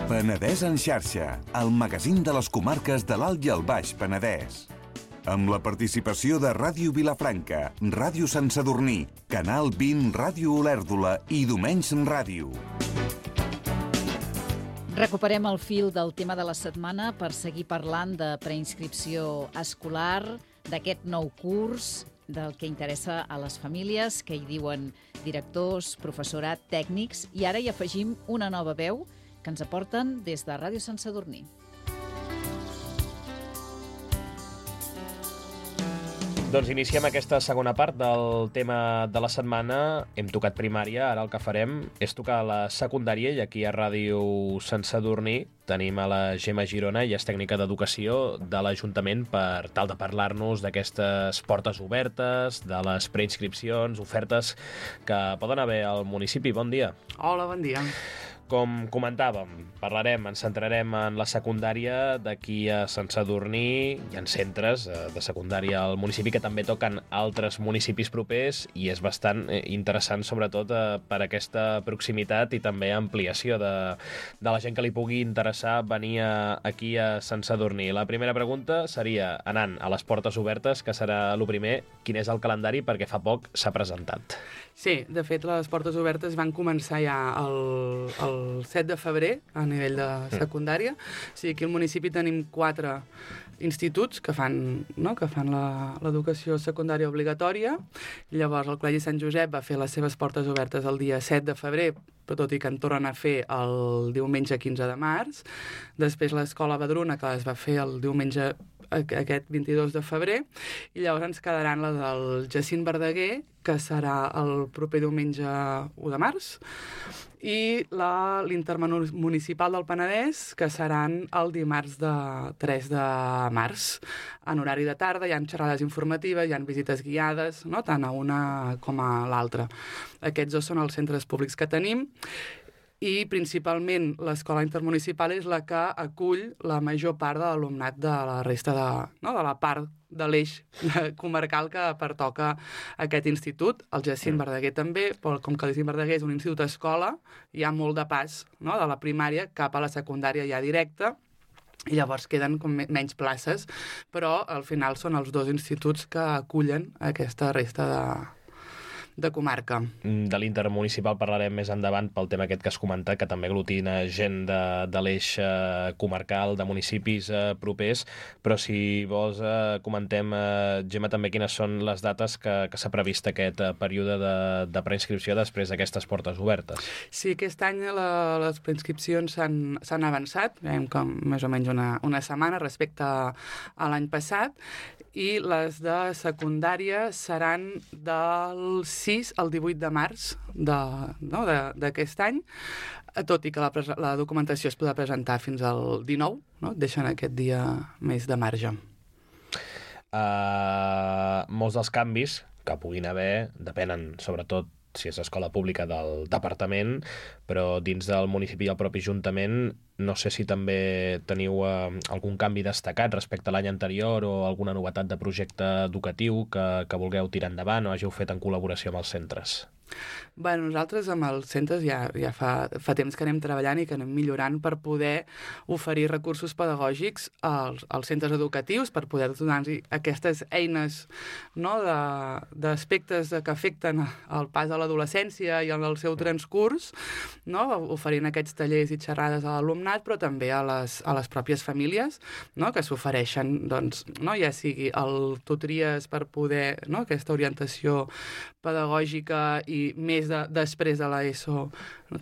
Penedès en xarxa, el magazín de les comarques de l'Alt i el Baix Penedès. Amb la participació de Ràdio Vilafranca, Ràdio Sant Sadurní, Canal 20, Ràdio Olèrdola i Domenys Ràdio. Recuperem el fil del tema de la setmana per seguir parlant de preinscripció escolar, d'aquest nou curs, del que interessa a les famílies, que hi diuen directors, professorat, tècnics, i ara hi afegim una nova veu que ens aporten des de Ràdio Sant Sadurní. Doncs iniciem aquesta segona part del tema de la setmana. Hem tocat primària, ara el que farem és tocar la secundària, i aquí a Ràdio Sant Sadurní tenim a la Gemma Girona, i és tècnica d'educació de l'Ajuntament, per tal de parlar-nos d'aquestes portes obertes, de les preinscripcions, ofertes que poden haver al municipi. Bon dia. Hola, bon dia. Com comentàvem, ens centrarem en la secundària d'aquí a Sant Sadurní. Hi ha centres de secundària al municipi que també toquen altres municipis propers, i és bastant interessant, sobretot per aquesta proximitat i també ampliació de la gent que li pugui interessar venir aquí a Sant Sadurní. La primera pregunta seria, anant a les portes obertes, que serà el primer, quin és el calendari, perquè fa poc s'ha presentat. Sí, de fet, les portes obertes van començar ja el 7 de febrer a nivell de secundària. O sigui, aquí al municipi tenim 4 instituts que fan l'educació secundària obligatòria. Llavors, el Col·legi Sant Josep va fer les seves portes obertes el dia 7 de febrer, però tot i que en tornen a fer el diumenge 15 de març. Després l'Escola Badruna, que les va fer el diumenge aquest 22 de febrer, i llavors ens quedaran la del Jacint Verdaguer, que serà el proper diumenge 1 de març, i l'Intermunicipal del Penedès, que seran el dimarts 3 de març. En horari de tarda hi ha xerrades informatives, hi ha visites guiades, no? Tant a una com a l'altra. Aquests dos són els centres públics que tenim, i principalment l'escola intermunicipal és la que acull la major part de l'alumnat de la resta de la part de l'eix comarcal que pertoca a aquest institut. El Jacint Verdaguer també, però com que el Jacint Verdaguer és un institut escola, hi ha molt de pas, no?, de la primària cap a la secundària ja directa, i llavors queden com menys places, però al final són els 2 instituts que acullen aquesta resta de comarca. De l'intermunicipal parlarem més endavant pel tema aquest que has comentat, que també aglutina gent de l'eix comarcal, de municipis propers, però si vols comentem, Gemma, també quines són les dates que s'ha previst aquest període de preinscripció després d'aquestes portes obertes. Sí, aquest any les preinscripcions s'han avançat, veiem que més o menys una setmana respecte a l'any passat, i les de secundària seran del 6 al 18 de març d'aquest any, tot i que la documentació es podrà presentar fins al 19, no? Deixen aquest dia més de marge. Molts dels canvis que puguin haver depenen, sobretot, si és escola pública, del departament, però dins del municipi i el propi ajuntament, no sé si també teniu algun canvi destacat respecte a l'any anterior o alguna novetat de projecte educatiu que vulgueu tirar endavant o hàgiu fet en col·laboració amb els centres. Bé, nosaltres amb els centres ja fa temps que anem treballant i que anem millorant per poder oferir recursos pedagògics als centres educatius, per poder donar-los aquestes eines, no?, d'aspectes que afecten el pas a l'adolescència i el seu transcurs, no?, oferint aquests tallers i xerrades a l'alumnat, però també a les pròpies famílies, no?, que s'ofereixen, doncs, no?, ja sigui el tutories per poder, no?, aquesta orientació pedagògica i més després de l'ESO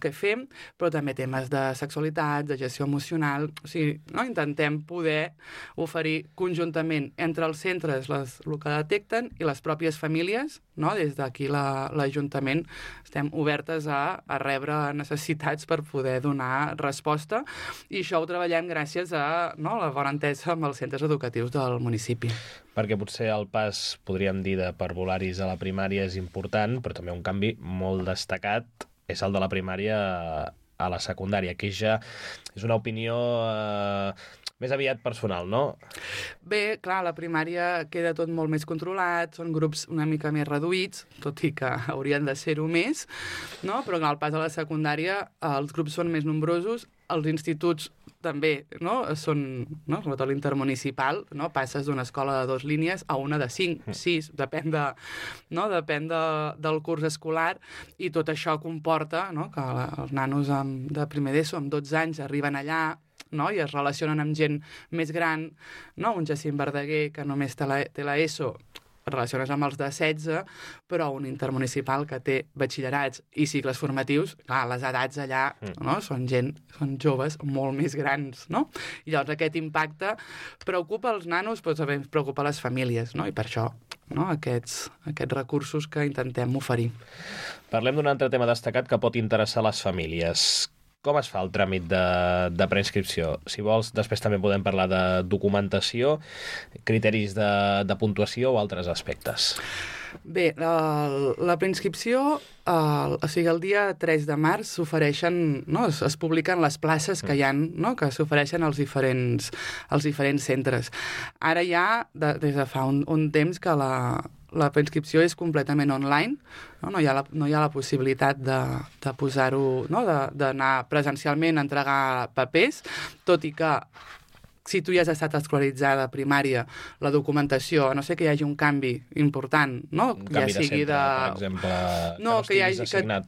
que fem, però també temes de sexualitat, de gestió emocional. O sigui, no? Intentem poder oferir conjuntament entre els centres el que detecten i les pròpies famílies, no? Des d'aquí l'Ajuntament estem obertes a rebre necessitats per poder donar resposta, i això ho treballem gràcies a la bona entesa amb els centres educatius del municipi. Perquè potser el pas, podríem dir, de parvularis a la primària és important, però també un canvi molt destacat és el de la primària a la secundària, que ja és una opinió més aviat personal, no? Bé, clar, a la primària queda tot molt més controlat, són grups una mica més reduïts, tot i que haurien de ser-ho més, no? Però al pas a la secundària els grups són més nombrosos els instituts també, no? Són, no? Sobretot l'intermunicipal, no? Passes d'una escola de 2 línies a una de 5, 6, depèn del curs escolar, i tot això comporta, no? Que els nanos de primer d'ESO, amb 12 anys, arriben allà, no? I es relacionen amb gent més gran, no? Un Jacint Verdaguer, que només té l'ESO, et relaciones amb els de 16, però un intermunicipal que té batxillerats i cicles formatius, clar, les edats allà, no? Són joves molt més grans, no? I llavors aquest impacte preocupa els nanos, però també preocupa les famílies, no? I per això, no? Aquests recursos que intentem oferir. Parlem d'un altre tema destacat que pot interessar les famílies. Com es fa el tràmit de preinscripció? Si vols, després també podem parlar de documentació, criteris de puntuació o altres aspectes. Bé, la preinscripció, o sigui, el dia 3 de març s'ofereixen, no? Es publiquen les places que hi ha, no? Que s'ofereixen als diferents centres. Ara ja, des de fa un temps que la preinscripció és completament online, no? No hi ha la possibilitat de posar-ho, no? D'anar presencialment a entregar papers, tot i que si tu ja has estat escolaritzada a primària, la documentació, a no ser que hi hagi un canvi important, no? Un canvi de centre, per exemple, no,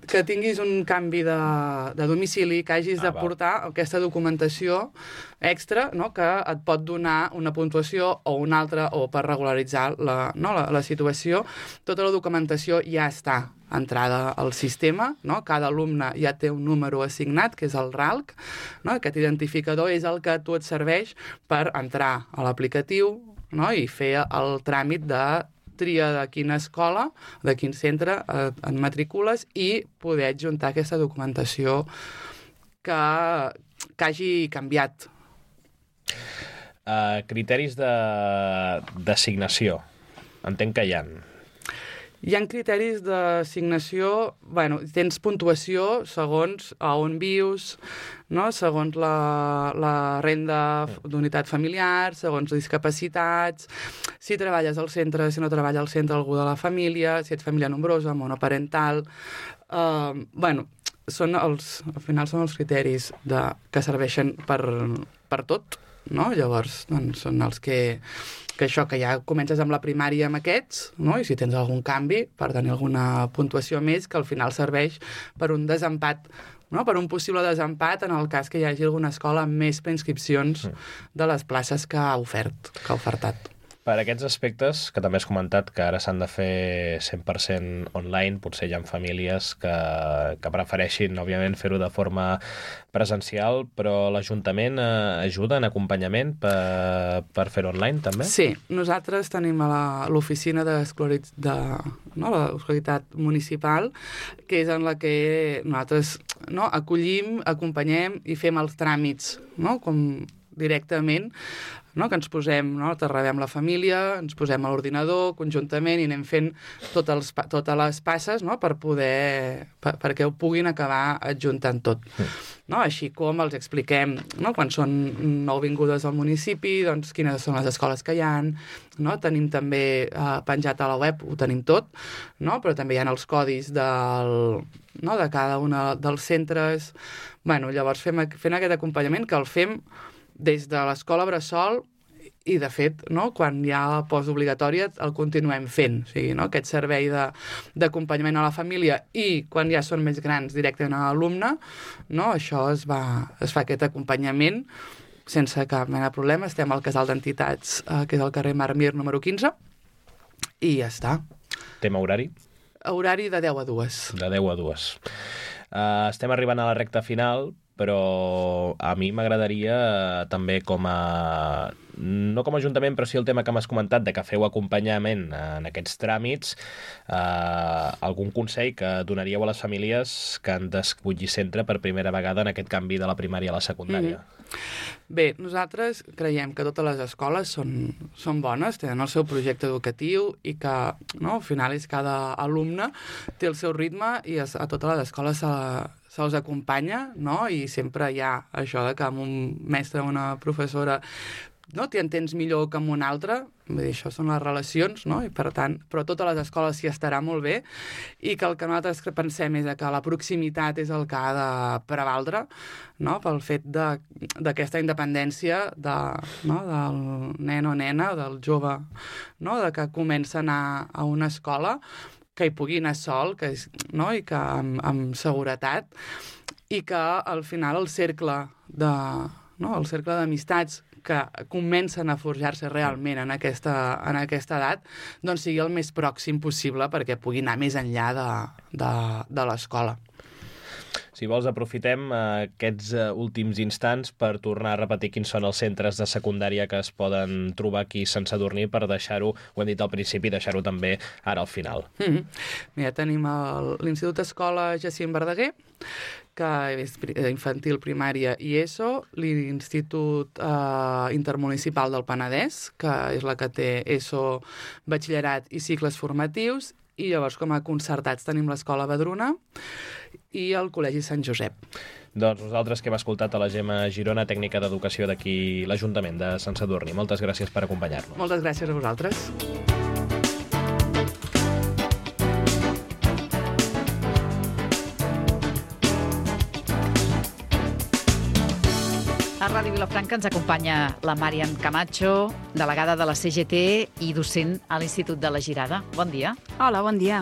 que tinguis un canvi de domicili, que hagis de portar aquesta documentació extra, no? Que et pot donar una puntuació o una altra, o per regularitzar la situació. Tota la documentació ja està entrada al sistema, no? Cada alumne ja té un número assignat, que és el RALC, no? Aquest identificador és el que a tu et serveix per entrar a l'aplicatiu, no? I fer el tràmit de tria de quina escola, de quin centre et matricules, i poder adjuntar aquesta documentació que hagi canviat. Criteris d'assignació. Entenc que hi ha. Hi ha criteris d'assignació, bueno, tens puntuació segons a on vius, no? Segons la renda d'unitat familiar, segons discapacitats, si treballes al centre, si no treballa al centre algú de la família, si ets família nombrosa, monoparental. Bueno, al final són els criteris que serveixen per tot, no? Llavors, doncs, són els que això, que ja comences amb la primària amb aquests, no? I si tens algun canvi, per tenir alguna puntuació més, que al final serveix per un desempat, no? Per un possible desempat en el cas que hi hagi alguna escola amb més preinscripcions de les places que ha ofertat. Per aquests aspectes, que també has comentat que ara s'han de fer 100% online, potser hi ha famílies que prefereixin, òbviament, fer-ho de forma presencial, però l'Ajuntament ajuda en acompanyament per fer-ho online, també? Sí, nosaltres tenim a l'oficina l'escolaritat municipal, que és en la que nosaltres acollim, acompanyem i fem els tràmits, no? Com directament, no? Que ens posem, no? T'arrebem la família, ens posem a l'ordinador conjuntament i anem fent totes les passes, no? Perquè ho puguin acabar adjuntant tot. No? Així com els expliquem, no? Quan són nouvingudes al municipi, doncs quines són les escoles que hi ha, no? Tenim també penjat a la web, ho tenim tot, no? Però també hi ha els codis de cada un dels centres. Bueno, llavors fent aquest acompanyament, que el fem des de l'escola bressol, i de fet, no? Quan hi ha postobligatòria el continuem fent, o sigui, no? Aquest servei d'acompanyament a la família, i quan ja són més grans directament a l'alumne, no? Això es fa aquest acompanyament sense cap mena de problema. Estem al casal d'entitats, que és al carrer Marmir número 15, i ja està. Tema horari? Horari de 10 a 2. De 10 a 2. Estem arribant a la recta final, però a mi m'agradaria també no com a Ajuntament, però sí el tema que m'has comentat, de que feu acompanyament en aquests tràmits, algun consell que donaríeu a les famílies que han d'escollir centre per primera vegada en aquest canvi de la primària a la secundària. Bé, nosaltres creiem que totes les escoles són bones, tenen el seu projecte educatiu, i que, no, al final cada alumne té el seu ritme, i a totes les escoles se'ls acompanya, no? I sempre hi ha això de que amb un mestre o una professora no, t'hi entens millor que amb un altre, vull dir, això són les relacions, no? I per tant, però a totes les escoles s'hi estarà molt bé, i que el que nosaltres pensem és que la proximitat és el que ha de prevaldre, no? Pel fet d'aquesta independència no? Del nen o nena, del jove, no? De que comença a anar a una escola, que hi pugui anar sol, no? I que amb seguretat, i que al final el cercle d'amistats que comencen a forjar-se realment en aquesta edat, doncs sigui el més pròxim possible perquè pugui anar més enllà de l'escola. Si vols, aprofitem aquests últims instants per tornar a repetir quins són els centres de secundària que es poden trobar aquí a Sant Sadurní per deixar-ho, ho hem dit al principi, deixar-ho també ara al final. Mira, tenim l'Institut Escola Jacint Verdaguer, que és infantil, primària i ESO, l'Institut Intermunicipal del Penedès, que és la que té ESO, batxillerat i cicles formatius, i llavors com a concertats tenim l'Escola Badruna i el Col·legi Sant Josep. Doncs nosaltres que hem escoltat a la Gemma Girona, tècnica d'educació d'aquí l'Ajuntament de Sant Sadurní. Moltes gràcies per acompanyar-nos. Moltes gràcies a vosaltres. A Ràdio Vilafranca ens acompanya la Màriam Camacho, delegada de la CGT i docent a l'Institut de la Girada. Bon dia. Hola, bon dia.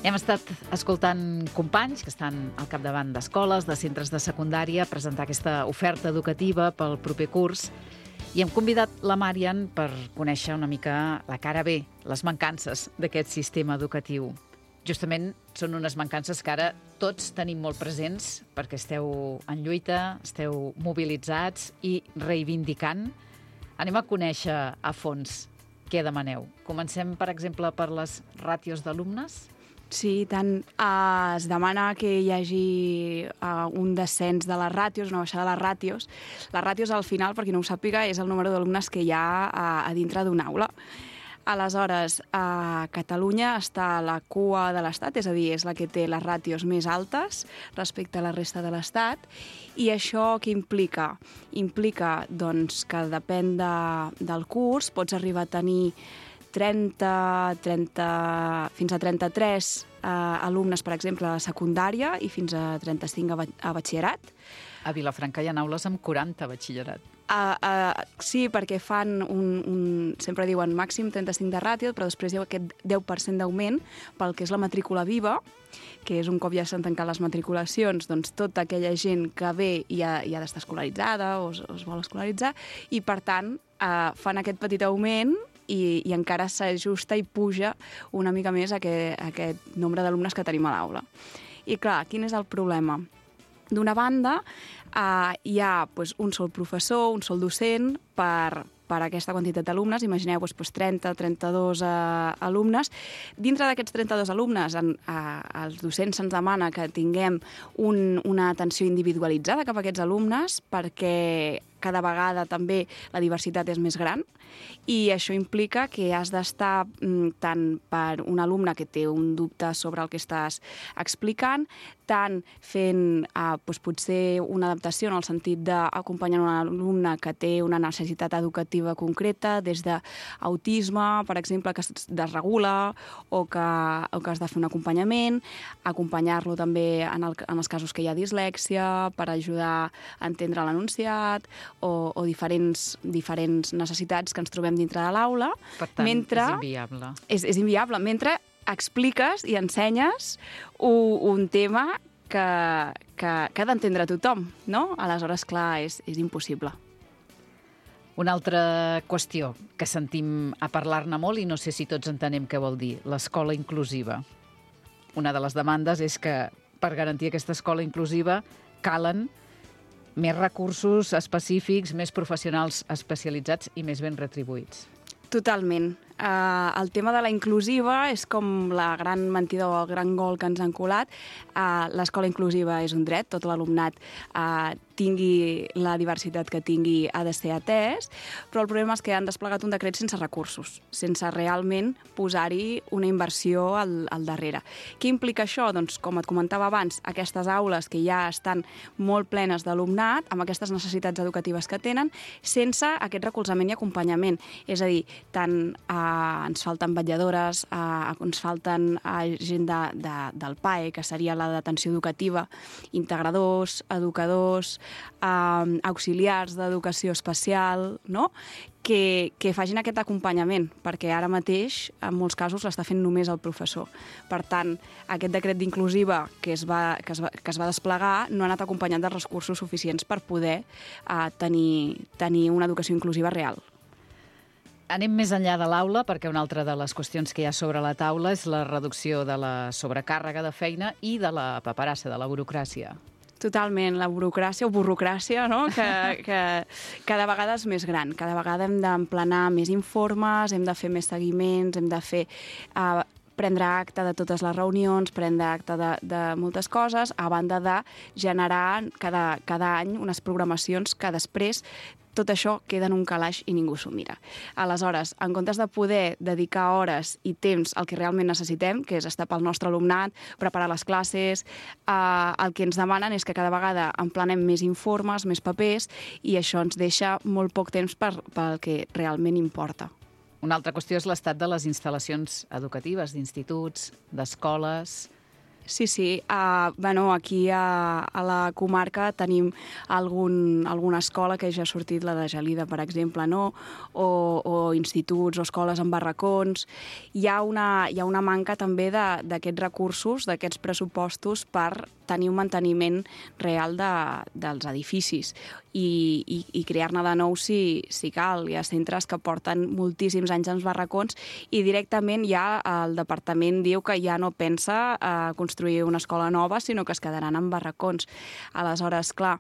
Hem estat escoltant companys que estan al capdavant d'escoles, de centres de secundària, a presentar aquesta oferta educativa pel proper curs, i hem convidat la Màriam per conèixer una mica la cara B, les mancances d'aquest sistema educatiu. Justament són unes mancances que ara tots tenim molt presents perquè esteu en lluita, esteu mobilitzats i reivindicant. Anem a conèixer a fons què demaneu. Comencem, per exemple, per les ràtios d'alumnes. Sí, tant. Es demana que hi hagi un descens de les ràtios, una baixada de les ràtios. Les ràtios, al final, per qui no ho sàpiga, és el número d'alumnes que hi ha a dintre d'una aula. Aleshores, Catalunya està a la cua de l'Estat, és a dir, és la que té les ràtios més altes respecte a la resta de l'Estat. I això què implica? Implica doncs, que depèn del curs, pots arribar a tenir 30, fins a 33 alumnes, per exemple, a secundària i fins a 35 a batxillerat. A Vilafranca hi ha aules amb 40 a batxillerat. Sí, perquè fan sempre diuen màxim 35 de ràtio, però després hi ha aquest 10% d'augment pel que és la matrícula viva, que és un cop ja s'han tancat les matriculacions, doncs tota aquella gent que ve i ha d'estar escolaritzada o es vol escolaritzar, i per tant fan aquest petit augment i encara s'ajusta i puja una mica més aquest nombre d'alumnes que tenim a l'aula. I clar, quin és el problema? D'una banda, hi ha un sol professor, un sol docent per aquesta quantitat d'alumnes. Imagineu 30, 32 alumnes. Dintre d'aquests 32 alumnes, els docents se'ns demana que tinguem una atenció individualitzada cap a aquests alumnes perquè cada vegada també la diversitat és més gran i això implica que has d'estar tant per un alumne que té un dubte sobre el que estàs explicant, tant fent potser una adaptació en el sentit d'acompanyar un alumne que té una necessitat educativa concreta, des d'autisme, per exemple, que es desregula o que has de fer un acompanyament, acompanyar-lo també en els casos que hi ha dislèxia per ajudar a entendre l'enunciat o diferents necessitats que ens trobem dintre de l'aula. Per tant, és inviable. És inviable, mentre expliques i ensenyes un tema que ha d'entendre tothom, no? Aleshores, clar, és impossible. Una altra qüestió que sentim a parlar-ne molt i no sé si tots entenem què vol dir, l'escola inclusiva. Una de les demandes és que per garantir aquesta escola inclusiva calen més recursos específics, més professionals especialitzats i més ben retribuïts. Totalment. El tema de la inclusiva és com la gran mentida o el gran gol que ens han colat. L'escola inclusiva és un dret, tot l'alumnat tingui la diversitat que tingui ha de ser atès, però el problema és que han desplegat un decret sense recursos, sense realment posar-hi una inversió al darrere. Què implica això? Doncs, com et comentava abans, aquestes aules que ja estan molt plenes d'alumnat, amb aquestes necessitats educatives que tenen, sense aquest recolzament i acompanyament. És a dir, tant ens falten vetlladores, ens falten gent del PAE, que seria la d'atenció educativa, integradors, educadors, auxiliars d'educació especial, no? que facin aquest acompanyament, perquè ara mateix, en molts casos, l'està fent només el professor. Per tant, aquest decret d'inclusiva que es va desplegar no ha anat acompanyat dels recursos suficients per poder tenir una educació inclusiva real. Anem més enllà de l'aula, perquè una altra de les qüestions que hi ha sobre la taula és la reducció de la sobrecàrrega de feina i de la paperassa, de la burocràcia. Totalment, la burocràcia o burrocràcia, no? que cada vegada és més gran. Cada vegada hem d'emplenar més informes, hem de fer més seguiments, hem de fer prendre acte de totes les reunions, prendre acte de moltes coses, a banda de generar cada any unes programacions que després tot això queda en un calaix i ningú s'ho mira. Aleshores, en comptes de poder dedicar hores i temps al que realment necessitem, que és estar pel nostre alumnat, preparar les classes, el que ens demanen és que cada vegada emplenem més informes, més papers, i això ens deixa molt poc temps pel que realment importa. Una altra qüestió és l'estat de les instal·lacions educatives, d'instituts, d'escoles. Sí. Aquí a la comarca tenim alguna escola que ja ha sortit, la de Gelida, per exemple, no? O instituts o escoles en barracons. Hi ha una manca també d'aquests recursos, d'aquests pressupostos per tenir un manteniment real dels edificis i crear-ne de nou si cal. Hi ha centres que porten moltíssims anys en barracons i directament ja el departament diu que ja no pensa construir una escola nova, sinó que es quedaran en barracons. Aleshores, clar,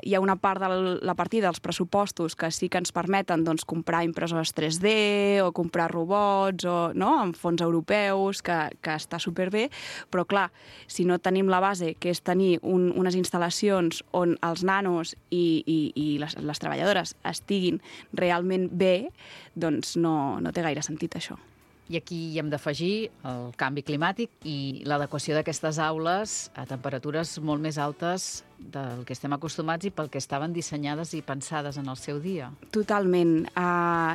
hi ha una part de la partida dels pressupostos que sí que ens permeten comprar impressores 3D o comprar robots amb fons europeus, que està superbé, però clar, si no tenim la base, que és tenir unes instal·lacions on els nanos i les treballadores estiguin realment bé, doncs no té gaire sentit això. I aquí hi hem d'afegir el canvi climàtic i l'adequació d'aquestes aules a temperatures molt més altes del que estem acostumats i pel que estaven dissenyades i pensades en el seu dia. Totalment.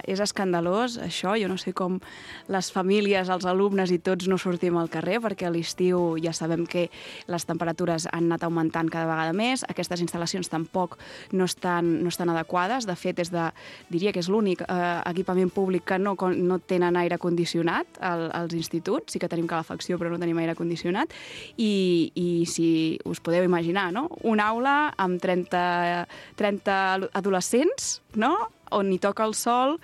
És escandalós, això. Jo no sé com les famílies, els alumnes i tots no sortim al carrer, perquè a l'estiu ja sabem que les temperatures han anat augmentant cada vegada més. Aquestes instal·lacions tampoc no estan adequades. De fet, diria que és l'únic equipament públic que no tenen aire condicionat als instituts. Sí que tenim calefacció, però no tenim aire condicionat. I si us podeu imaginar, no? Una aula amb 30 adolescents, no? On hi toca el sol,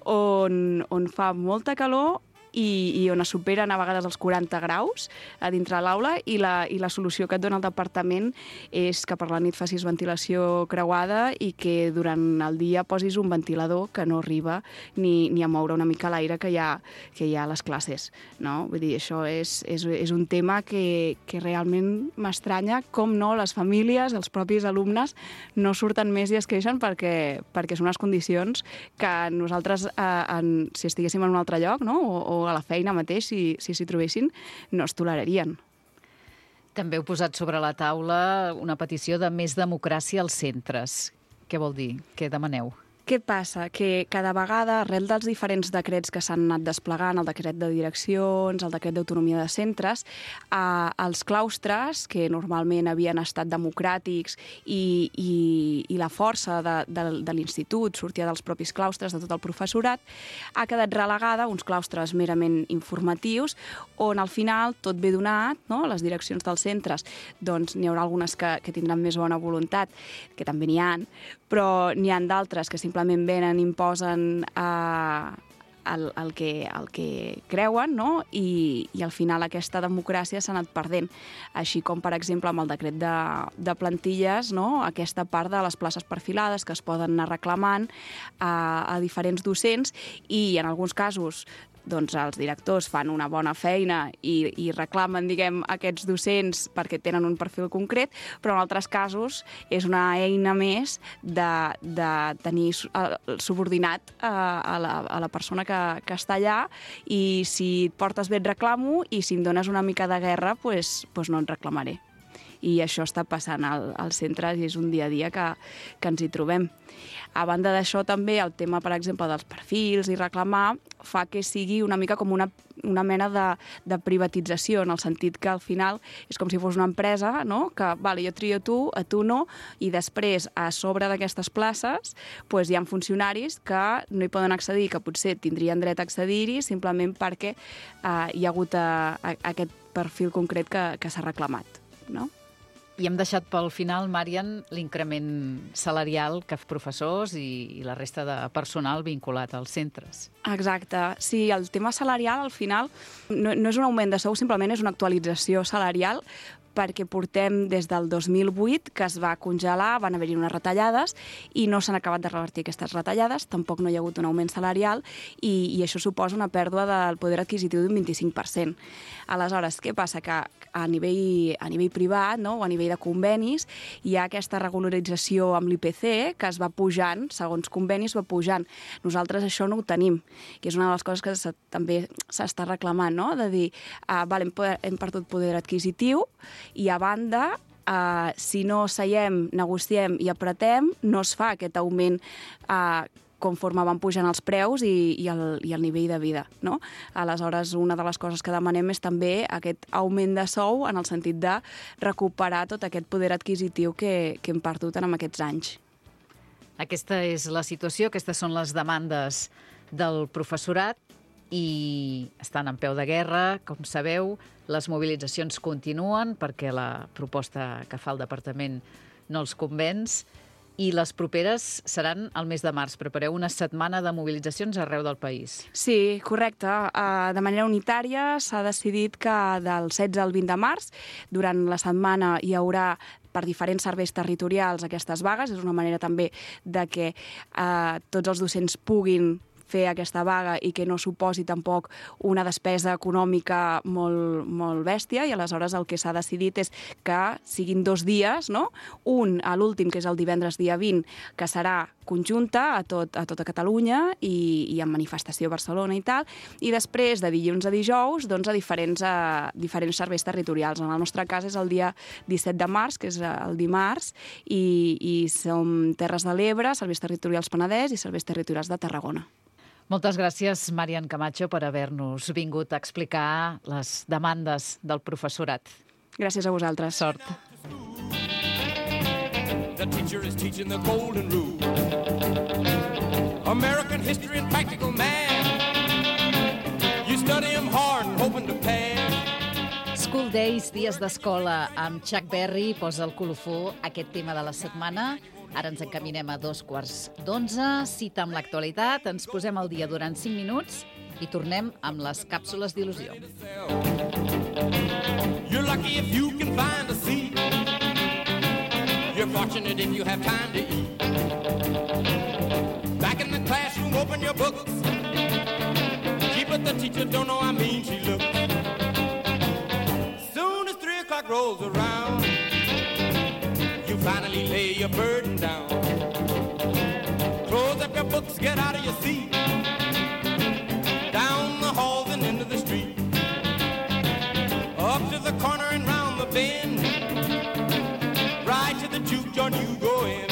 on fa molta calor i on es superen a vegades els 40 graus a dintre l'aula i la solució que et dona el departament és que per la nit facis ventilació creuada i que durant el dia posis un ventilador que no arriba ni a moure una mica l'aire que hi ha a les classes, no? Vull dir, això és un tema que realment m'estranya com no les famílies, els propis alumnes no surten més i es queixen perquè són unes condicions que nosaltres, si estiguéssim en un altre lloc, no? O a la feina mateix, si s'hi trobessin, no es tolerarien. També heu posat sobre la taula una petició de més democràcia als centres. Què vol dir? Què demaneu? Què passa? Que cada vegada, arrel dels diferents decrets que s'han anat desplegant, el decret de direccions, el decret d'autonomia de centres, els claustres, que normalment havien estat democràtics i la força de l'institut sortia dels propis claustres, de tot el professorat, ha quedat relegada a uns claustres merament informatius, on al final tot ve donat, no? Les direccions dels centres, doncs n'hi haurà algunes que tindran més bona voluntat, que també n'hi ha, però n'hi ha d'altres que simplement venen i imposen el que creuen, no? I al final aquesta democràcia s'ha anat perdent. Així com, per exemple, amb el decret de plantilles, no? Aquesta part de les places perfilades que es poden anar reclamant a diferents docents i, en alguns casos, doncs els directors fan una bona feina i reclamen, diguem, aquests docents perquè tenen un perfil concret, però en altres casos és una eina més de tenir subordinat a la persona que està allà, i si et portes bé et reclamo i si em dones una mica de guerra, doncs no et reclamaré. I això està passant als centres i és un dia a dia que ens hi trobem. A banda d'això, també el tema, per exemple, dels perfils i reclamar fa que sigui una mica com una mena de privatització, en el sentit que al final és com si fos una empresa, no? Que, vale, jo trio a tu no, i després, a sobre d'aquestes places, doncs hi ha funcionaris que no hi poden accedir, que potser tindrien dret a accedir-hi simplement perquè hi ha hagut aquest perfil concret que s'ha reclamat, no? I hem deixat pel final, Marian, l'increment salarial que professors i la resta de personal vinculat als centres. Exacte. Sí, el tema salarial, al final, no és un augment de sou, simplement és una actualització salarial, perquè portem des del 2008 que es va congelar, van haver-hi unes retallades i no s'han acabat de revertir aquestes retallades, tampoc no hi ha hagut un augment salarial i això suposa una pèrdua del poder adquisitiu d'un 25%. Aleshores, què passa? Que a nivell privat, no? O a nivell de convenis hi ha aquesta regularització amb l'IPC que es va pujant, segons convenis va pujant. Nosaltres això no ho tenim, que és una de les coses que també s'està reclamant, no? De dir, hem perdut poder adquisitiu, i a banda, si no seiem, negociem i apretem, no es fa aquest augment conforme van pujant els preus i el nivell de vida, no? Aleshores, una de les coses que demanem és també aquest augment de sou en el sentit de recuperar tot aquest poder adquisitiu que hem perdut en aquests anys. Aquesta és la situació, aquestes són les demandes del professorat i estan en peu de guerra, com sabeu. Les mobilitzacions continuen perquè la proposta que fa el departament no els convenç i les properes seran al mes de març. Prepareu una setmana de mobilitzacions arreu del país. Sí, correcte. De manera unitària s'ha decidit que del 16 al 20 de març, durant la setmana hi haurà per diferents serveis territorials aquestes vagues. És una manera també de que tots els docents puguin fer aquesta vaga i que no suposi tampoc una despesa econòmica molt bèstia, i aleshores el que s'ha decidit és que siguin 2 dies, no? Un a l'últim, que és el divendres dia 20, que serà conjunta a tota Catalunya i amb manifestació a Barcelona i tal, i després de dilluns a dijous doncs a diferents serveis territorials. En el nostre cas és el dia 17 de març, que és el dimarts, i som Terres de l'Ebre, serveis territorials Penedès i serveis territorials de Tarragona. Moltes gràcies, Marian Camacho, per haver-nos vingut a explicar les demandes del professorat. Gràcies a vosaltres. Sort. The teacher is teaching the golden rule. American history and practical math. You study them hard and hoping to pass. School Days, dies d'escola, amb Chuck Berry posa el colofó aquest tema de la setmana. Ara ens encaminem a 11:15, cita amb l'actualitat, ens posem al dia durant 5 minuts i tornem amb les càpsules d'il·lusió. You're lucky if you can find a seat. You're fortunate if you have time to eat. Back in the classroom, open your books. Gee, but the teacher don't know how mean she looks. Soon as 3 o'clock rolls around, you finally lay your burden down. Close up your books, get out of your seat. Down the halls and into the street. Up to the corner and round the bend. Right to the juke joint you go in.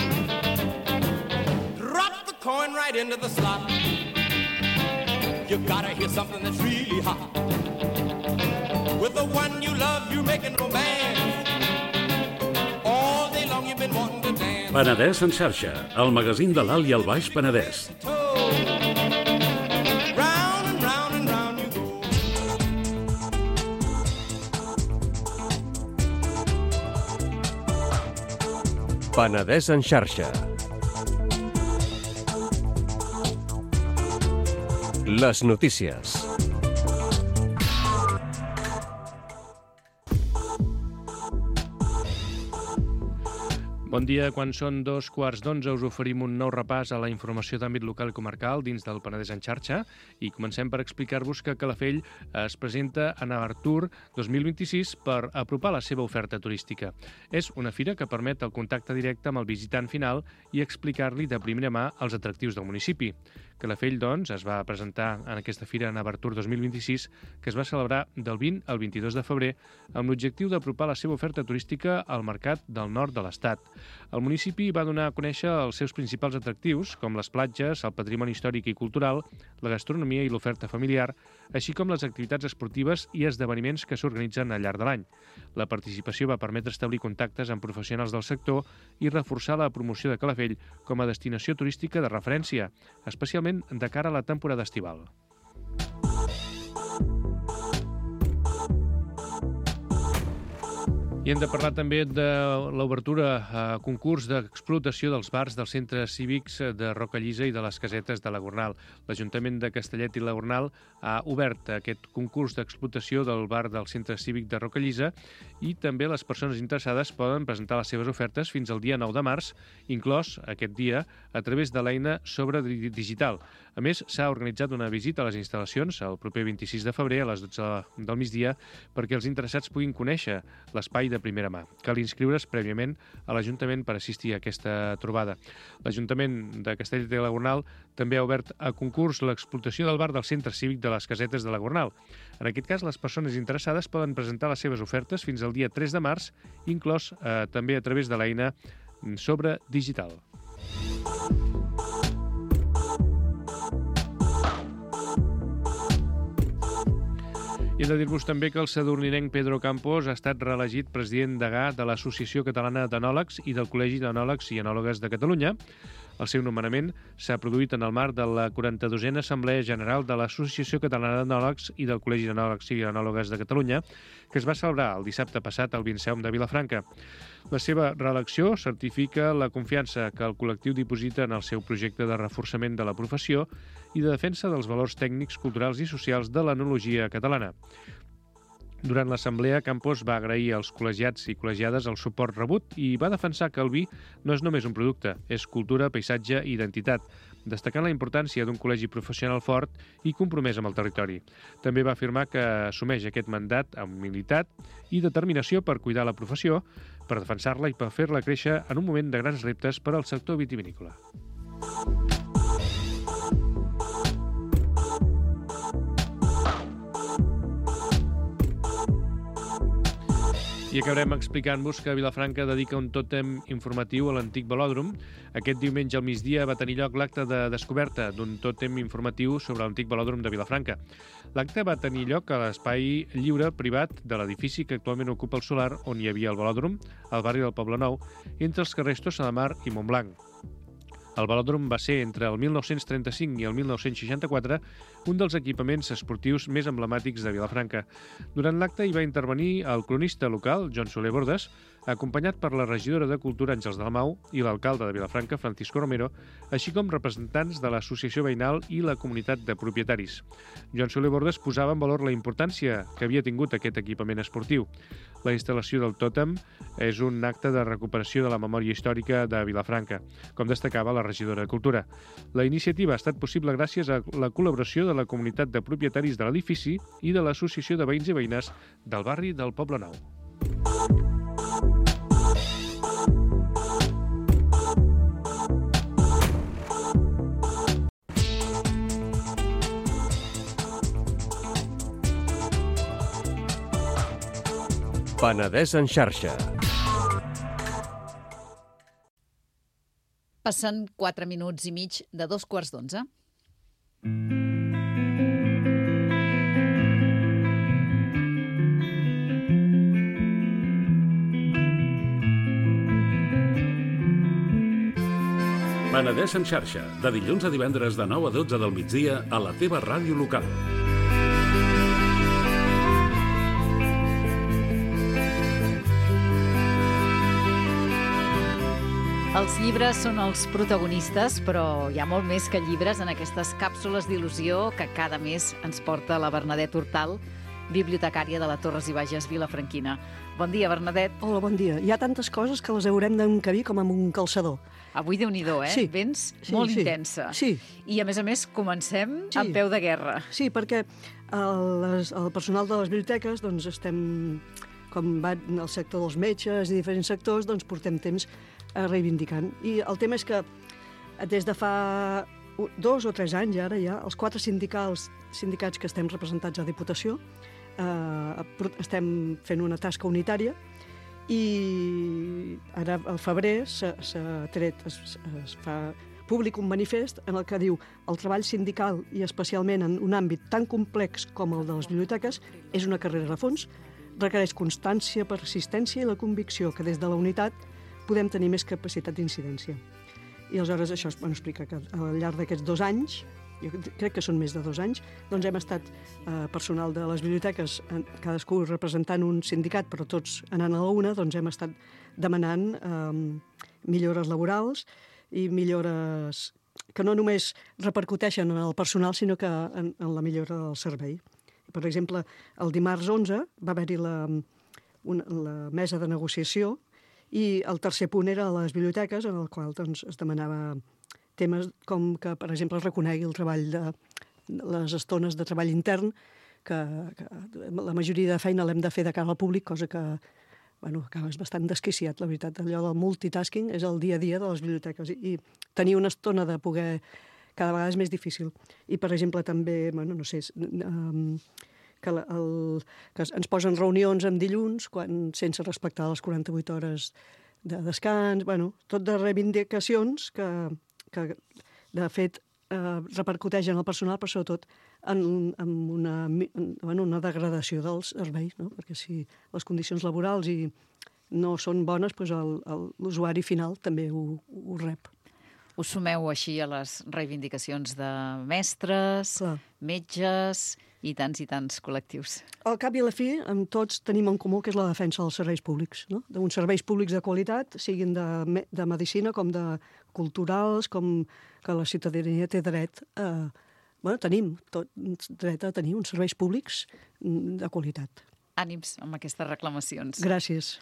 Drop the coin right into the slot. You gotta hear something that's really hot. With the one you love, you're making romance. Penedès en xarxa, el magazín de l'Alt i el Baix Penedès. Penedès en xarxa. Les notícies. Bon dia. Quan són 11:15 us oferim un nou repàs a la informació d'àmbit local i comarcal dins del Penedès en xarxa i comencem per explicar-vos que Calafell es presenta a Navartur 2026 per apropar la seva oferta turística. És una fira que permet el contacte directe amb el visitant final i explicar-li de primera mà els atractius del municipi. Calafell, doncs, es va presentar en aquesta fira Navartur 2026 que es va celebrar del 20 al 22 de febrer amb l'objectiu d'apropar la seva oferta turística al mercat del nord de l'Estat. El municipi va donar a conèixer els seus principals atractius, com les platges, el patrimoni històric i cultural, la gastronomia i l'oferta familiar, així com les activitats esportives i esdeveniments que s'organitzen al llarg de l'any. La participació va permetre establir contactes amb professionals del sector i reforçar la promoció de Calafell com a destinació turística de referència, especialment de cara a la temporada estival. I hem de parlar també de l'obertura a concurs d'explotació dels bars dels centres cívics de Rocallisa i de les casetes de la Gornal. L'Ajuntament de Castellet i la Gornal ha obert aquest concurs d'explotació del bar del centre cívic de Rocallisa i també les persones interessades poden presentar les seves ofertes fins al dia 9 de març, inclòs aquest dia a través de l'eina Sobre Digital. A més, s'ha organitzat una visita a les instal·lacions el proper 26 de febrer a les 12 del migdia perquè els interessats puguin conèixer l'espai de primera mà. Cal inscriure's prèviament a l'Ajuntament per assistir a aquesta trobada. L'Ajuntament de Castellet i la Gornal també ha obert a concurs l'explotació del bar del centre cívic de les casetes de la Gornal. En aquest cas, les persones interessades poden presentar les seves ofertes fins al dia 3 de març, inclòs també a través de l'eina Sobre Digital. I hem de dir-vos també que el sadurninenc Pedro Campos ha estat reelegit president degà de l'Associació Catalana d'Enòlegs i del Col·legi d'Enòlegs i Enòlogues de Catalunya. El seu nomenament s'ha produït en el marc de la 42a Assemblea General de l'Associació Catalana d'Enòlegs i del Col·legi d'Enòlegs i Enòlogues de Catalunya, que es va celebrar el dissabte passat al Vinceum de Vilafranca. La seva reelecció certifica la confiança que el col·lectiu diposita en el seu projecte de reforçament de la professió i de defensa dels valors tècnics, culturals i socials de l'enologia catalana. Durant l'assemblea, Campos va agrair als col·legiats i col·legiades el suport rebut i va defensar que el vi no és només un producte, és cultura, paisatge i identitat, destacant la importància d'un col·legi professional fort i compromès amb el territori. També va afirmar que assumeix aquest mandat amb humilitat i determinació per cuidar la professió, per defensar-la i per fer-la créixer en un moment de grans reptes per al sector vitivinícola. I acabarem explicant-vos que Vilafranca dedica un tòtem informatiu a l'antic velòdrom. Aquest diumenge al migdia va tenir lloc l'acte de descoberta d'un tòtem informatiu sobre l'antic velòdrom de Vilafranca. L'acte va tenir lloc a l'espai lliure privat de l'edifici que actualment ocupa el solar on hi havia el velòdrom, al barri del Poblenou, entre els carrers Tossa de Mar i Montblanc. El velòdrom va ser, entre el 1935 i el 1964, un dels equipaments esportius més emblemàtics de Vilafranca. Durant l'acte hi va intervenir el cronista local, Joan Soler Bordes, acompanyat per la regidora de Cultura Àngels Dalmau i l'alcalde de Vilafranca, Francisco Romero, així com representants de l'associació veïnal i la comunitat de propietaris. Joan Soler Bordes posava en valor la importància que havia tingut aquest equipament esportiu. La instal·lació del tòtem és un acte de recuperació de la memòria històrica de Vilafranca, com destacava la regidora de Cultura. La iniciativa ha estat possible gràcies a la col·laboració de la comunitat de propietaris de l'edifici i de l'Associació de Veïns i Veïnes del barri del Poblenou. Penedès en xarxa. Passen 4 minuts i mig de 11:15. Penedès en xarxa, de dilluns a divendres de 9 a 12 del migdia a la teva ràdio local. Els llibres són els protagonistes, però hi ha molt més que llibres en aquestes càpsules d'il·lusió que cada mes ens porta la Bernadette Hortal, bibliotecària de la Torres i Bages Vilafranquina. Bon dia, Bernadette. Hola, bon dia. Hi ha tantes coses que les haurem d'encabir com amb un calçador. Avui Déu-n'hi-do, Sí. Vens molt intensa. Sí. I, a més, comencem amb peu de guerra. Sí, perquè el personal de les biblioteques, doncs estem, com va en el sector dels metges i diferents sectors, doncs portem temps reivindicant. I el tema és que des de fa 2 o 3 anys, ara ja, els 4 sindicats que estem representats a Diputació, estem fent una tasca unitària i ara al febrer es fa públic un manifest en el que diu el treball sindical i especialment en un àmbit tan complex com el de les biblioteques és una carrera de fons, requereix constància, persistència i la convicció que des de la unitat podem tenir més capacitat d'incidència. I aleshores això explica que al llarg d'aquests 2 anys, jo crec que són més de 2 anys, doncs hem estat personal de les biblioteques, cadascú representant un sindicat, però tots anant a la una, doncs hem estat demanant millores laborals i millores que no només repercuteixen en el personal, sinó que en la millora del servei. Per exemple, el dimarts 11 va haver-hi la mesa de negociació i el tercer punt era a les biblioteques, en el qual doncs, es demanava temes com que, per exemple, es reconegui el treball de les estones de treball intern, que la majoria de feina l'hem de fer de cara al públic, cosa que és bastant desquiciat, la veritat. Allò del multitasking és el dia a dia de les biblioteques i tenir una estona de poder cada vegada és més difícil. I, per exemple, també, que ens posen reunions en dilluns sense respectar les 48 hores de descans, tot de reivindicacions que de fet repercuteixen en el personal, però sobretot en una degradació dels serveis, no? Perquè si les condicions laborals no són bones, doncs l'usuari final també ho rep. Us sumeu així a les reivindicacions de mestres, metges i tants col·lectius. Al cap i a la fi, amb tots tenim en comú que és la defensa dels serveis públics, no? D'uns serveis públics de qualitat, siguin de medicina com de culturals, com que la ciutadania té dret tenim tot dret a tenir uns serveis públics de qualitat. Ànims amb aquestes reclamacions. Gràcies.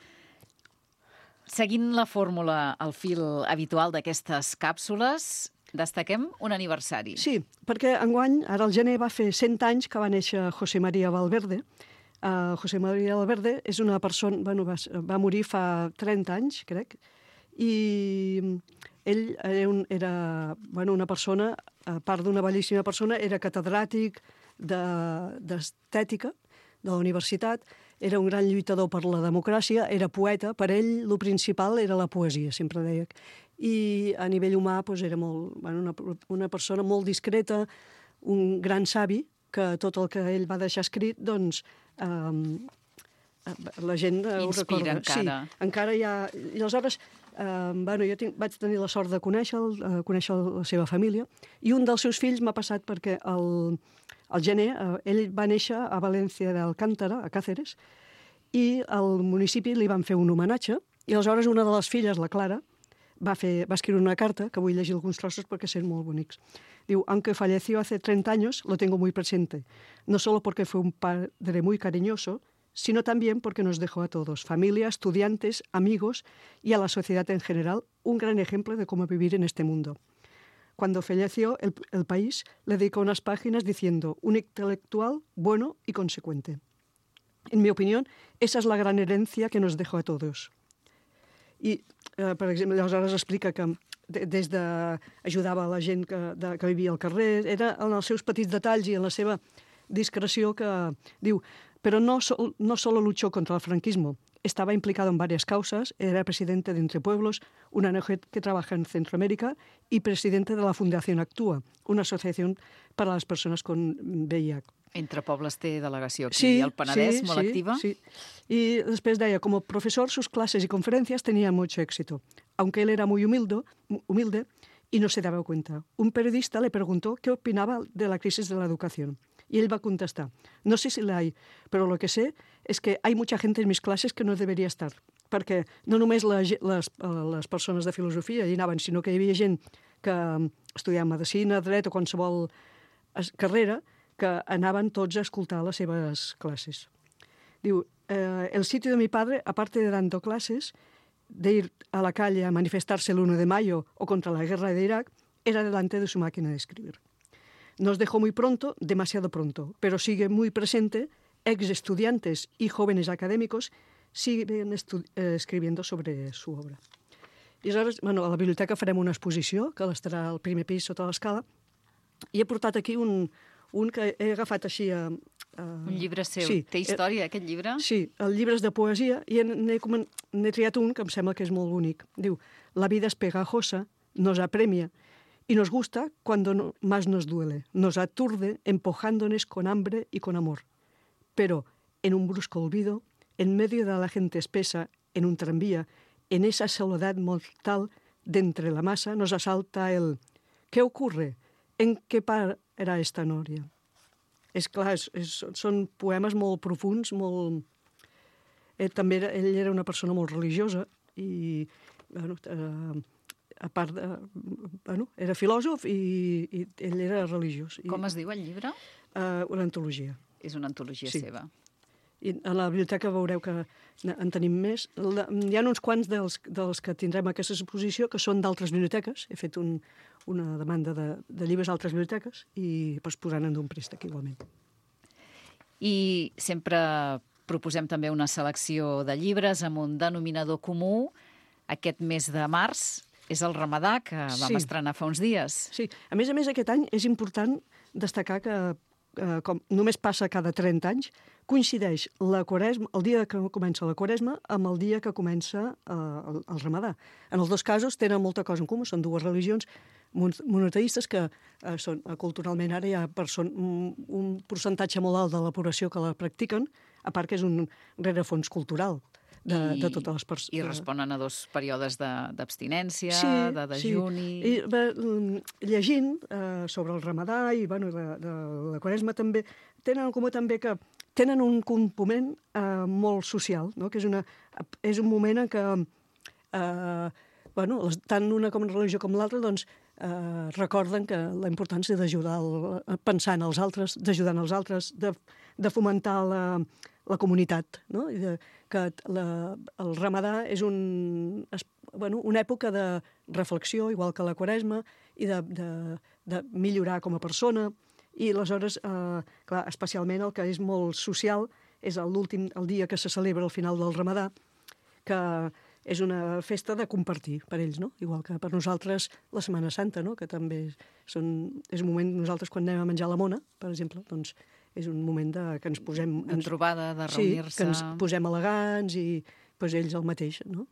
Seguint la fórmula, el fil habitual d'aquestes càpsules, destaquem un aniversari. Sí, perquè enguany, ara al gener, va fer 100 anys que va néixer José María Valverde. José María Valverde és una persona... va morir fa 30 anys, crec, i ell era una persona, a part d'una bellíssima persona, era catedràtic d'estètica de la universitat, era un gran lluitador per la democràcia, era poeta, per ell el principal era la poesia, sempre deia. I a nivell humà era una persona molt discreta, un gran savi, que tot el que ell va deixar escrit, doncs, la gent ho recorda. Inspira encara. Sí, encara hi ha... I aleshores, jo vaig tenir la sort de conèixer la seva família, i un dels seus fills m'ha passat perquè al gener, ell va néixer a València d'Alcántara, a Càceres, i al municipi li van fer un homenatge, i aleshores una de les filles, la Clara, va escriure una carta, que vull llegir alguns trossos perquè són molt bonics. Diu, aunque falleció hace 30 años, lo tengo muy presente, no solo porque fue un padre muy cariñoso, sino también porque nos dejó a todos, familia, estudiantes, amigos y a la sociedad en general, un gran ejemplo de cómo vivir en este mundo. Cuando falleció, el país le dedicó unas páginas diciendo un intelectual bueno y consecuente. En mi opinión, esa es la gran herencia que nos dejó a todos. I, per exemple, aleshores explica que des ajudava a la gent que vivia al carrer, era en els seus petits detalls i en la seva discreció que diu, pero no solo luchó contra el franquismo, estaba implicado en varias causas, era presidente de Entre Pueblos, una ONG que trabaja en Centroamérica, y presidente de la Fundación Actúa, una asociación para las personas con VIH. Entre Pobles té delegació aquí al Penedès, molt activa. Sí. Y después de ella, como profesor, sus clases y conferencias tenían mucho éxito, aunque él era muy humilde y no se daba cuenta. Un periodista le preguntó qué opinaba de la crisis de la educación. Y él va a contestar, no sé si la hay, pero lo que sé es que hay mucha gente en mis clases que no debería estar. perquè no només les persones de filosofia hi anaven, sinó que hi havia gent que estudiava medicina, dret o qualsevol carrera, que anaven tots a escoltar les seves classes. Diu, el sitio de mi padre, aparte de dando clases, de ir a la calle a manifestarse el 1 de mayo o contra la guerra de Irak, era delante de su máquina de escribir. Nos dejó muy pronto, demasiado pronto, pero sigue muy presente. Ex estudiantes y jóvenes académicos siguen escribiendo sobre su obra. I aleshores, a la biblioteca farem una exposició, que estarà al primer pis sota l'escala, i he portat aquí un que he agafat així... Un llibre seu. Sí, Té història, aquest llibre? Sí, el llibre és de poesia, i n'he triat un que em sembla que és molt bonic. Diu, la vida es pegajosa, nos apremia, y nos gusta cuando más nos duele. Nos aturde empujándonos con hambre y con amor. Pero, en un brusco olvido, en medio de la gente espesa, en un tranvía, en esa soledad mortal de entre la masa, nos asalta el ¿qué ocurre? ¿En qué para esta noria? És clar, són poemes molt profuns, molt... També ell era una persona molt religiosa i, a part de... era filòsof i ell era religiós. Com es diu el llibre? Una antologia. És una antologia seva. I a la biblioteca veureu que en tenim més. Hi ha uns quants dels que tindrem aquesta exposició que són d'altres biblioteques. He fet una demanda de llibres a altres biblioteques i es posaran d'un préstec igualment. I sempre proposem també una selecció de llibres amb un denominador comú. Aquest mes de març és el Ramadà, que vam estrenar fa uns dies. Sí, a més, aquest any és important destacar que com només passa cada 30 anys, coincideix la Quaresma, el dia que comença la Quaresma amb el dia que comença el Ramadà. En els dos casos tenen molta cosa en comú, són dues religions monoteistes que són, culturalment ara hi ha un percentatge molt alt de la població que la practiquen, a part que és un rerefons cultural de totes les persones. I responen a dos períodes d'abstinència, de dejuni... Sí, i llegint sobre el Ramadà i de la Quaresma també, tenen en comú també que tenen un component molt social, no? Que és un moment en què tant una com religió com l'altra doncs, recorden que la importància d'ajudar, pensar en els altres, d'ajudar els altres, de fomentar la comunitat, no? I que el Ramadà és una època de reflexió, igual que la Quaresma, i de millorar com a persona. I aleshores, clar, especialment el que és molt social és el dia que se celebra al final del Ramadà, que és una festa de compartir per ells, no? Igual que per nosaltres la Setmana Santa, no? Que també és un moment, nosaltres quan anem a menjar la mona, per exemple, doncs és un moment que ens posem... De trobada, de reunir-se... Sí, que ens posem elegants i el mateix, no?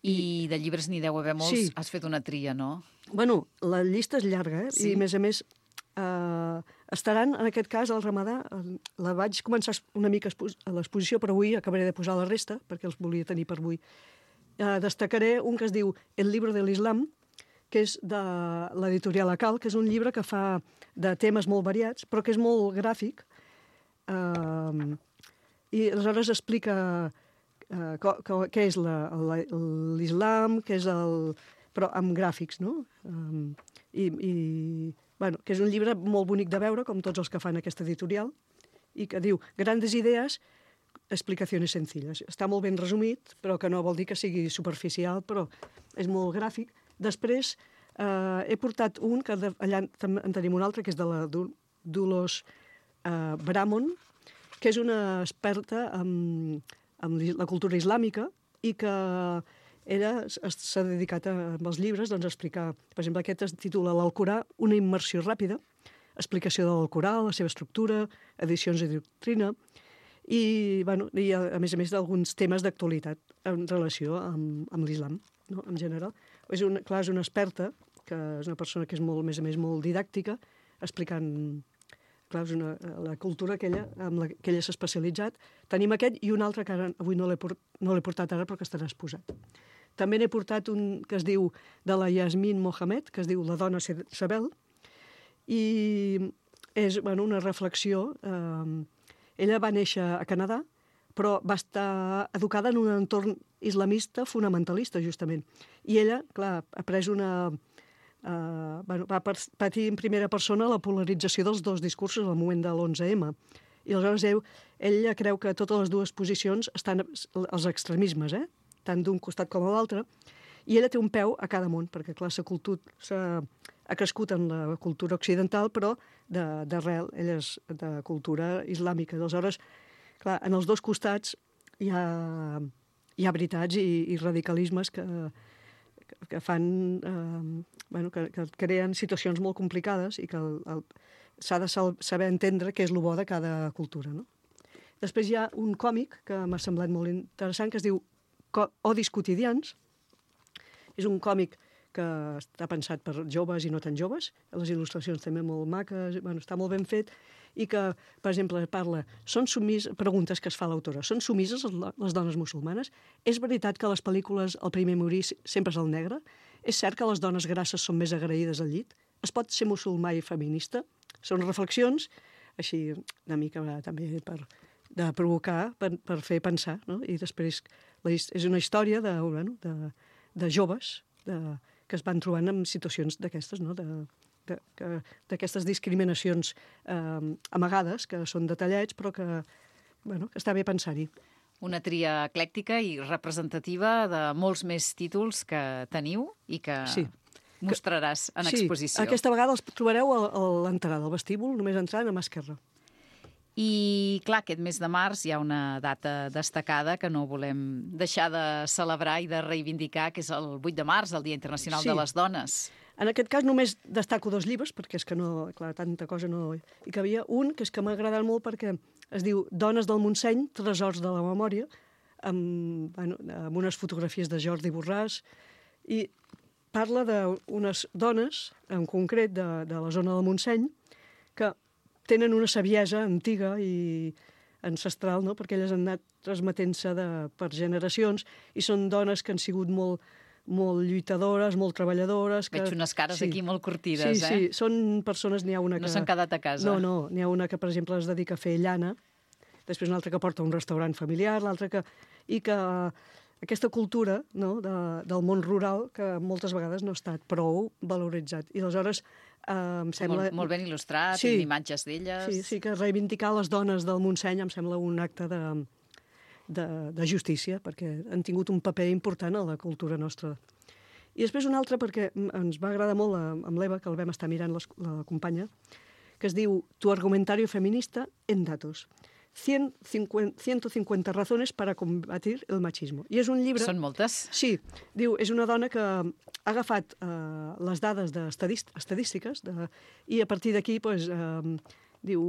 I de llibres n'hi deu haver molts. Sí. Has fet una tria, no? Bueno, la llista és llarga, Sí. I a més, estaran, en aquest cas, al Ramadà, la vaig començar una mica a l'exposició, però avui acabaré de posar la resta, perquè els volia tenir per avui. Destacaré un que es diu El libro de l'Islam, que és de l'editorial Acal, que és un llibre que fa de temes molt variats, però que és molt gràfic, i aleshores explica què és l'Islam, què és però amb gràfics, no? Que és un llibre molt bonic de veure, com tots els que fan aquesta editorial, i que diu grandes idees, explicacions sencilles. Està molt ben resumit, però que no vol dir que sigui superficial, però és molt gràfic. Després he portat un, que allà en tenim un altre, que és de la Dolors Bramon, que és una experta en la cultura islàmica i que s'ha dedicat amb els llibres a explicar. Per exemple, aquest es titula L'Alcorà, una immersió ràpida, explicació de l'Alcorà, la seva estructura, edicions de doctrina, i a més d'alguns temes d'actualitat en relació amb l'islam, no? En general. És una experta, que és una persona que és a més a més molt didàctica, explicant la cultura amb la que ella s'ha especialitzat. Tenim aquest i un altre que avui no l'he portat ara però que estarà exposat. També n'he portat un que es diu de la Yasmin Mohamed, que es diu La dona Sabel, i és una reflexió. Ella va néixer a Canadà, però va estar educada en un entorn islamista fonamentalista, justament. I ella, clar, ha pres va patir en primera persona la polarització dels dos discursos al moment de l'11M. I aleshores ella creu que totes les dues posicions estan als extremismes, tant d'un costat com a l'altre, i ella té un peu a cada món, perquè clar, ha crescut en la cultura occidental, però d'arrel, ella és de cultura islàmica. Aleshores, clar, en els dos costats hi ha veritats i radicalismes que fan, que creen situacions molt complicades i que s'ha de saber entendre què és el bo de cada cultura, no? Després hi ha un còmic que m'ha semblat molt interessant, que es diu Odis quotidians. És un còmic que està pensat per joves i no tan joves, les il·lustracions també molt maques, està molt ben fet, i que, per exemple, parla, preguntes que es fa l'autora, són submises les dones musulmanes? És veritat que a les pel·lícules el primer a morir sempre és el negre? És cert que les dones grasses són més agraïdes al llit? Es pot ser musulmà i feminista? Són reflexions, així, una mica també de provocar, per fer pensar, no? I després és una història de joves que es van trobant en situacions d'aquestes, no? D'aquestes discriminacions amagades, que són detallets, però que està bé pensar-hi. Una tria eclèctica i representativa de molts més títols que teniu i que mostraràs en exposició. Sí, aquesta vegada els trobareu a l'entrada, al vestíbul, només entrant a mà esquerra. I, clar, aquest mes de març hi ha una data destacada que no volem deixar de celebrar i de reivindicar, que és el 8 de març, el Dia Internacional de les Dones. En aquest cas només destaco 2 llibres, perquè és que no, clar, tanta cosa no hi cabia. Un, que és que m'ha agradat molt perquè es diu Dones del Montseny, tresors de la memòria, amb unes fotografies de Jordi Borràs, i parla d'unes dones, en concret de la zona del Montseny, que tenen una saviesa antiga i ancestral, no? Perquè elles han anat transmetent-se per generacions i són dones que han sigut molt lluitadores, molt treballadores. Veig unes cares aquí molt curtides, Sí, són persones, n'hi ha una que... No s'han quedat a casa. No, n'hi ha una que, per exemple, es dedica a fer llana, després una altra que porta un restaurant familiar, l'altra que... I que aquesta cultura, no, del món rural que moltes vegades no ha estat prou valoritzat. I aleshores em sembla... Molt ben il·lustrat, amb imatges d'elles. Sí, que reivindicar les dones del Montseny em sembla un acte de justícia, perquè han tingut un paper important a la cultura nostra. I després un altre, perquè ens va agradar molt amb l'Eva, que el vam estar mirant la companya, que es diu Tu argumentario feminista en datos. 150 razones para combatir el machismo. I és un llibre... Són moltes? Sí. Diu, és una dona que ha agafat les dades estadístiques i a partir d'aquí, diu,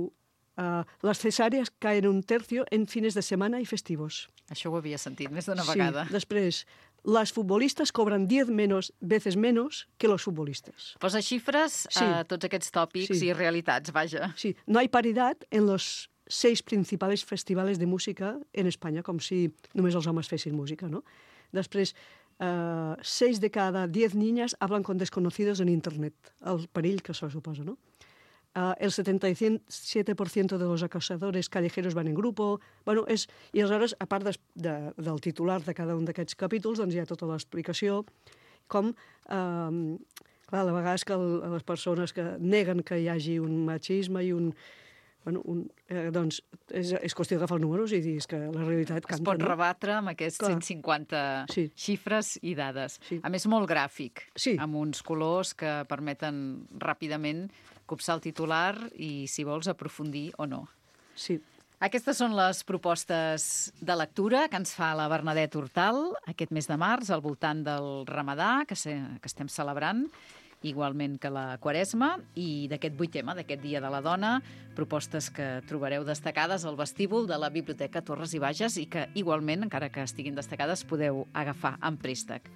les cesàries caen 1/3 en fines de setmana i festivos. Això ho havia sentit més d'una vegada. Sí. Després, las futbolistas cobran 10 veces menos que los futbolistas. Posa xifres a tots aquests tòpics i realitats, vaja. Sí. No hay paridad en los 6 principals festivals de música en Espanya, com si només els homes fessin música, no? Després, 6 de cada 10 niñas hablan con desconocidos en Internet, el perill que això suposa, no? El 77% de los acosadores callejeros van en grupo. I aleshores, a part del titular de cada un d'aquests capítols, doncs hi ha tota l'explicació, com... Clar, a vegades que les persones que neguen que hi hagi un machisme i un... doncs és qüestió d'agafar els números i dir que la realitat canta. Es pot rebatre amb aquests 150 xifres i dades. A més, molt gràfic, amb uns colors que permeten ràpidament copsar el titular i, si vols, aprofundir o no. Sí. Aquestes són les propostes de lectura que ens fa la Bernadette Hortal aquest mes de març, al voltant del Ramadà, que estem celebrant, igualment que la Quaresma, i d'aquest 8M, d'aquest Dia de la Dona, propostes que trobareu destacades al vestíbul de la Biblioteca Torres i Bages i que igualment, encara que estiguin destacades, podeu agafar en préstec.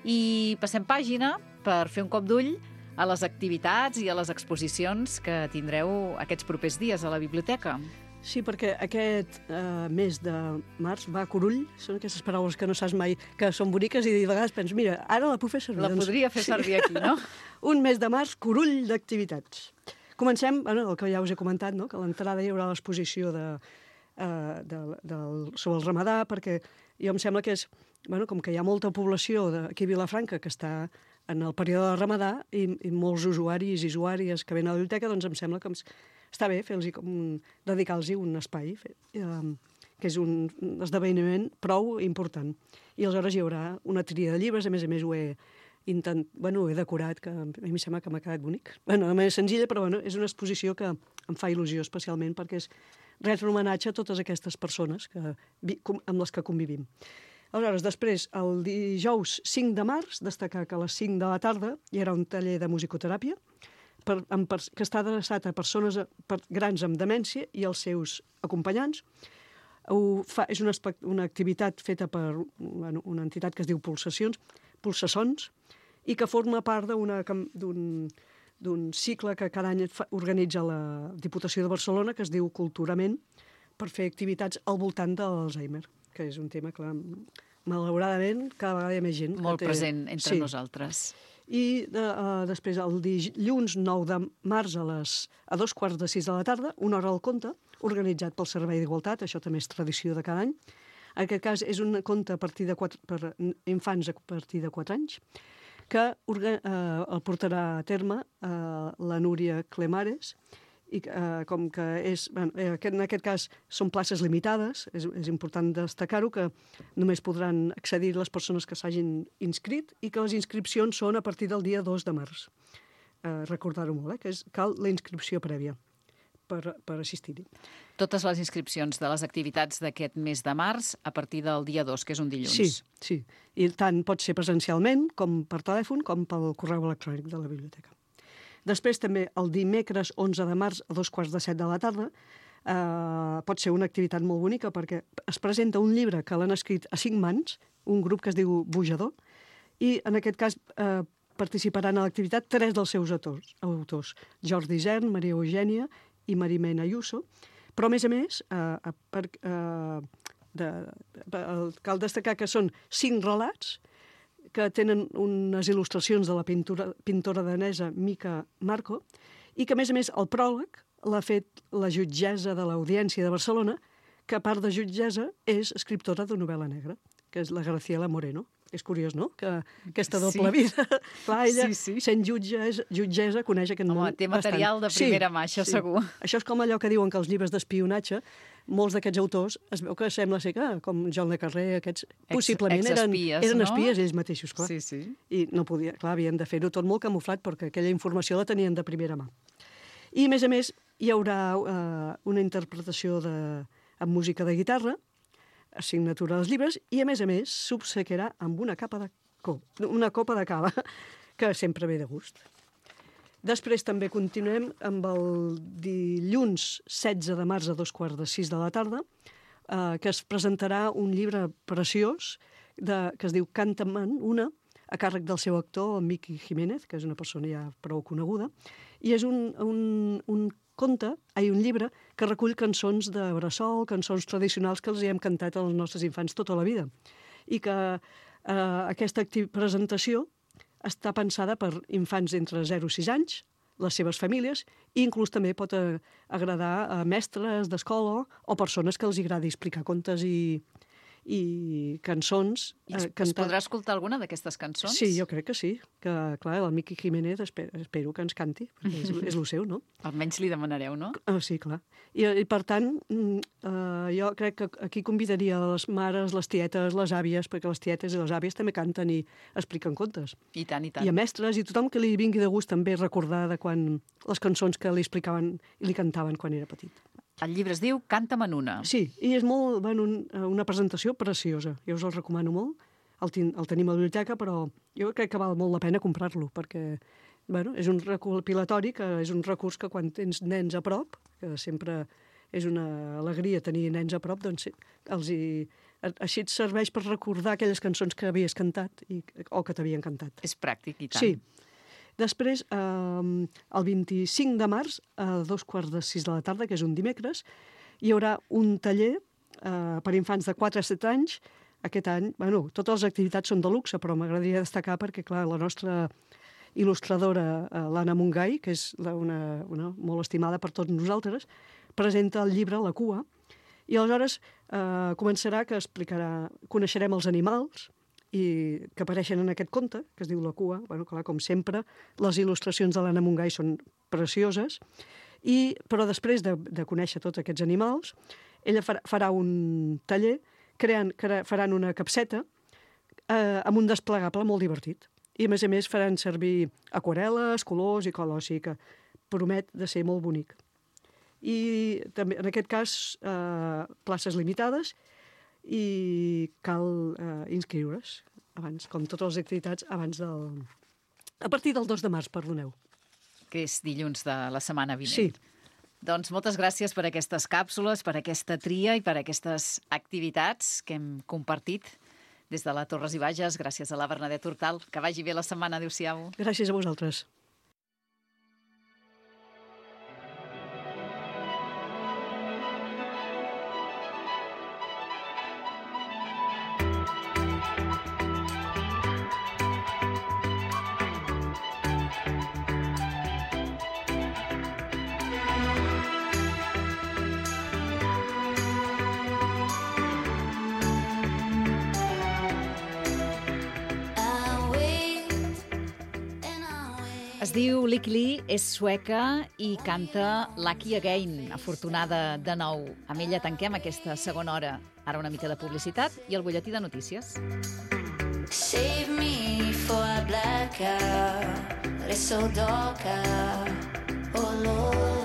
I passem pàgina per fer un cop d'ull a les activitats i a les exposicions que tindreu aquests propers dies a la biblioteca. Sí, perquè aquest mes de març va a Curull, són aquestes paraules que no saps mai, que són boniques i de vegades penso, mira, ara la puc fer servir. La podria fer servir aquí, no? Un mes de març, Curull d'activitats. Comencem, el que ja us he comentat, no? Que a l'entrada hi haurà l'exposició sobre el ramadà, perquè jo em sembla que és, bueno, com que hi ha molta població aquí a Vilafranca que està en el període de ramadà i molts usuaris i usuàries que venen a la biblioteca, doncs em sembla que està bé dedicar-los un espai, que és un esdeveniment prou important. I aleshores hi haurà una tria de llibres, a més ho he decorat, que a mi em sembla que m'ha quedat bonic. De manera senzilla, però és una exposició que em fa il·lusió especialment perquè és res homenatge a totes aquestes persones amb les que convivim. Aleshores, després, el dijous 5 de març, destacar que a les 5 de la tarda hi haurà un taller de musicoteràpia que està adreçat a persones grans amb demència i els seus acompanyants. És una activitat feta per una entitat que es diu Pulsassons, i que forma part d'un cicle que cada any organitza la Diputació de Barcelona, que es diu Culturament, per fer activitats al voltant de l'Alzheimer, que és un tema que, malauradament, cada vegada hi ha més gent. Molt present entre nosaltres. I després, el dilluns 9 de març a 2:45 de la tarda, una hora al conte, organitzat pel Servei d'Igualtat, això també és tradició de cada any. En aquest cas és un conte per infants a partir de 4 anys, que el portarà a terme la Núria Clemares, i com que en aquest cas són places limitades, és important destacar-ho, que només podran accedir les persones que s'hagin inscrit i que les inscripcions són a partir del dia 2 de març. Recordar-ho molt, que cal la inscripció prèvia per assistir-hi. Totes les inscripcions de les activitats d'aquest mes de març a partir del dia 2, que és un dilluns. Sí. I tant pot ser presencialment, com per telèfon, com pel correu electrònic de la biblioteca. Després també el dimecres 11 de març a 2:15 de la tarda pot ser una activitat molt bonica perquè es presenta un llibre que l'han escrit a 5 mans, un grup que es diu Bujador, i en aquest cas participaran a l'activitat 3 dels seus autors, Jordi Isern, Maria Eugènia i Marimena Ayuso, però a més, cal destacar que són 5 relats que tenen unes il·lustracions de la pintora danesa Mica Marco i que, a més, el pròleg l'ha fet la jutgessa de l'Audiència de Barcelona, que a part de jutgessa és escriptora de novel·la negra, que és la Graciela Moreno. És curiós, no?, que aquesta doble vida. Clar, ella, sent jutgessa, coneix aquest món. Home, té material de primera mà, això segur. Això és com allò que diuen que els llibres d'espionatge, molts d'aquests autors, es veu que sembla ser que, com John le Carré, aquests possiblement eren espies ells mateixos, clar. Sí. I no podia, clar, havien de fer-ho tot molt camuflat perquè aquella informació la tenien de primera mà. I, a més, hi haurà una interpretació amb música de guitarra, assignatura dels llibres, i, a més, s'obsequiarà amb una copa de cava, que sempre ve de gust. Després també continuem amb el dilluns 16 de març a 2:15 de la tarda, que es presentarà un llibre preciós que es diu Canta-me'n una, a càrrec del seu actor, el Miqui Jiménez, que és una persona ja prou coneguda, i és un llibre que recull cançons de bressol, cançons tradicionals que els hi hem cantat als nostres infants tota la vida. I que aquesta presentació està pensada per infants entre 0 i 6 anys, les seves famílies, i inclús també pot agradar a mestres d'escola o persones que els agradi explicar contes i cançons. Es podrà escoltar alguna d'aquestes cançons? Sí, jo crec que sí. Que, clar, el Miqui Jiménez espero que ens canti, perquè és el seu, no? Almenys li demanareu, no? Sí, clar. I per tant, jo crec que aquí convidaria les mares, les tietes, les àvies, perquè les tietes i les àvies també canten i expliquen contes. I tant. I a mestres i tothom que li vingui de gust també recordar de quan les cançons que li explicaven i li cantaven quan era petit. El llibre es diu Canta-me'n una. Sí, i és una presentació preciosa. Jo us el recomano molt. El tenim a la biblioteca, però jo crec que val molt la pena comprar-lo, perquè és un recopilatori, que és un recurs que quan tens nens a prop, que sempre és una alegria tenir nens a prop, doncs així et serveix per recordar aquelles cançons que havies cantat o que t'havien cantat. És pràctic, i tant. Sí. Després, el 25 de març, a 2:15 de la tarda, que és un dimecres, hi haurà un taller per infants de 4 a 7 anys. Aquest any, totes les activitats són de luxe, però m'agradaria destacar perquè, clar, la nostra il·lustradora, l'Anna Montgai, que és una molt estimada per tots nosaltres, presenta el llibre La cua, I aleshores començarà que explicarà, coneixerem els animals i que apareixen en aquest conte, que es diu La cua. Bueno, clar, com sempre, les il·lustracions de l'Anna Montgai són precioses, però després de conèixer tots aquests animals, ella farà un taller, faran una capseta amb un desplegable molt divertit. I, a més, faran servir aquarel·les, colors i cola, o sigui que promet de ser molt bonic. I també, en aquest cas, places limitades i cal inscriure's abans, com totes les activitats, a partir del 2 de març, perdoneu. Que és dilluns de la setmana vinent. Sí. Doncs moltes gràcies per aquestes càpsules, per aquesta tria i per aquestes activitats que hem compartit des de la Torres i Bages. Gràcies a la Bernadette Hortal. Que vagi bé la setmana. Adéu-siau. Gràcies a vosaltres. Es diu Lykke Li, és sueca i canta Lucky Again, afortunada de nou. Amb ella tanquem aquesta segona hora. Ara una mica de publicitat i el butlletí de notícies. Save me for a blackout, it's so dark out, oh Lord.